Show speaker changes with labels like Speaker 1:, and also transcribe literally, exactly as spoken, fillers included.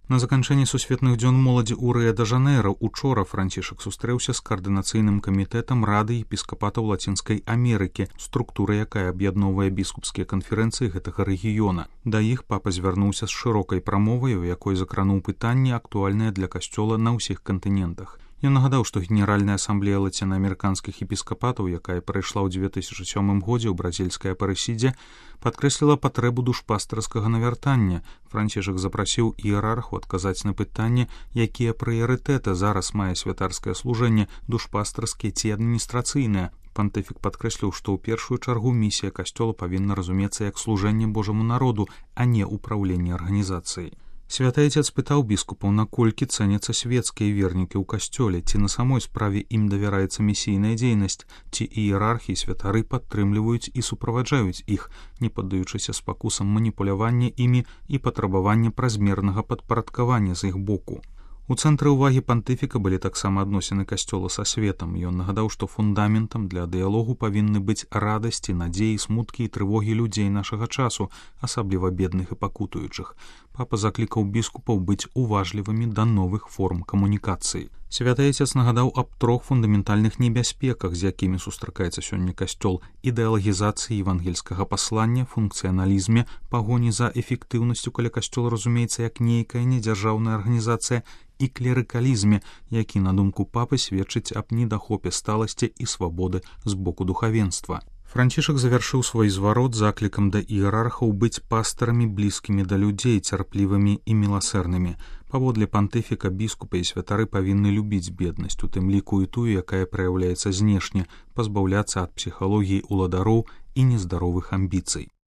Speaker 1: На заканчэнні сусветных дзён моладзі ў Рыа-дэ-Жанэйра учора Францішак сустрэўся з каардынацыйным камітэтам Рады епіскапатаў Лацінскай Амерыкі, структура якая аб'ядноўвае біскупскія канферэнцыі гэтага рэгіёна. Да іх папа звярнуўся з шырокай прамовай, у якой закрануў пытанні, актуальныя для касцёла на ўсіх кантынентах. Ён нагадаў, што Генеральная асамблея лацінаамерыканскіх епіскапатаў, якая прайшла ў дзве тысячы сёмым годзе ў бразільскай Апарэсідзе, падкрэсліла патрэбу душпастарскага навяртання. Францішак запрасіў іерарху адказаць на пытанне, якія прыярытэты зараз мае святарскае служэнне, душпастарскія ці адміністрацыйнае. Пантыфік падкрэсліў, што ў першую чаргу місія касцёла павінна разумецца як служэнне Божаму народу, а не ўпраўленне арганізацыяй. Святы Айцец пытаў біскупаў, наколькі цэняцца светскія вернікі ў касцёле, ці на самой справе ім давяраецца місійная дзейнасць, ці іерархі і святары падтрымліваюць і суправаджаюць іх, не паддаючыся спакусам маніпулявання імі і патрабавання празмернага падпарадкавання з іх боку. У цэнтры ўвагі пантыфіка былі таксама адносіны касцёла са светам. Ён нагадаў, што фундаментам для дыялогу павінны быць радасці, надзеі, смуткі і трывогі людзей нашага часу, асабліва бедных і пакутуючых. Папа заклікаў біскупаў быць уважлівымі да новых форм камунікацыі. Святы Айцец нагадаў аб трох фундаментальных небяспеках, з якімі сустракаецца сёння касцёл: ідэалагізацыі евангельскага паслання, функцыяналізме, пагоні за эфектыўнасцю, каля касцёл разумеецца як нейкая недзяржаўная арганізацыя, і клерыкалізме, які, на думку папы, сведчыць аб недахопе сталасці і свабоды з боку духавенства. Францішак завяршыў свой зварот заклікам да іерархаў быць пастарамі блізкімі да людзей, цярплівымі і міласэрнымі. Паводле пантыфіка біскупы і святары павінны любіць беднасць, у тым ліку і тую, якая праяўляецца знешне, пазбаўляцца ад псіхалогіі ўладароў і нездаровых амбіцый.